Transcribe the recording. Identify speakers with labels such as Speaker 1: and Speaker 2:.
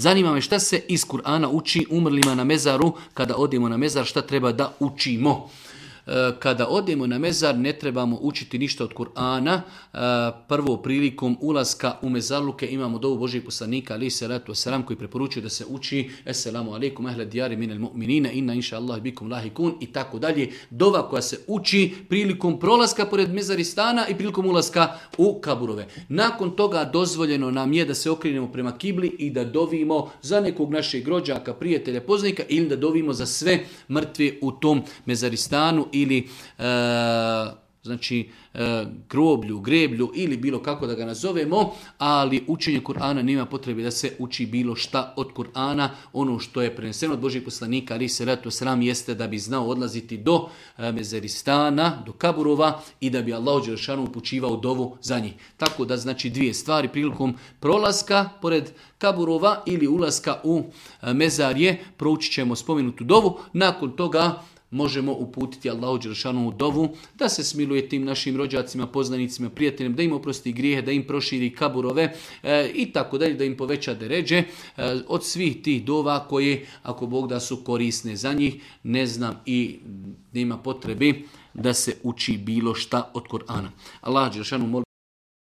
Speaker 1: Zanima me šta se iz Kur'ana uči umrlima na mezaru, kada odemo na mezar, šta treba da učimo. Kada odemo na mezar ne trebamo učiti ništa od Kur'ana. Prvo prilikom ulaska u mezarluke imamo dovu Božijeg poslanika alejhi salatu vesselam koji preporučuje da se uči Esselamu alejkum ehle dijari minel mu'minina inna inša Allah bikum lahikun i tako dalje. Dova koja se uči prilikom prolaska pored mezaristana i prilikom ulaska u kaburove. Nakon toga dozvoljeno nam je da se okrenemo prema kibli i da dovimo za nekog našeg rođaka, prijatelja, poznanika ili da dovimo za sve mrtve u tom mezaristanu ili groblju, greblju ili bilo kako da ga nazovemo, ali učenje Kur'ana nema potrebe da se uči bilo šta od Kur'ana. Ono što je preneseno od Božih poslanika alejhi salatu vesselam jeste da bi znao odlaziti do mezaristana, do kaburova i da bi Allahu dželešanu upućivao dovu za njih. Tako da znači dvije stvari prilikom prolaska pored kaburova ili ulaska u mezarje proučit ćemo spomenutu dovu. Nakon toga možemo uputiti Allahu dželešanu dovu da se smiluje tim našim rođacima, poznanicima, prijateljima, da im oprosti grijehe, da im proširi kaburove i tako dalje, da im poveća deređe od svih tih dova koje, ako Bog da, su korisne za njih. Ne znam i nema potrebe da se uči bilo šta od Kur'ana. Allah dželešanu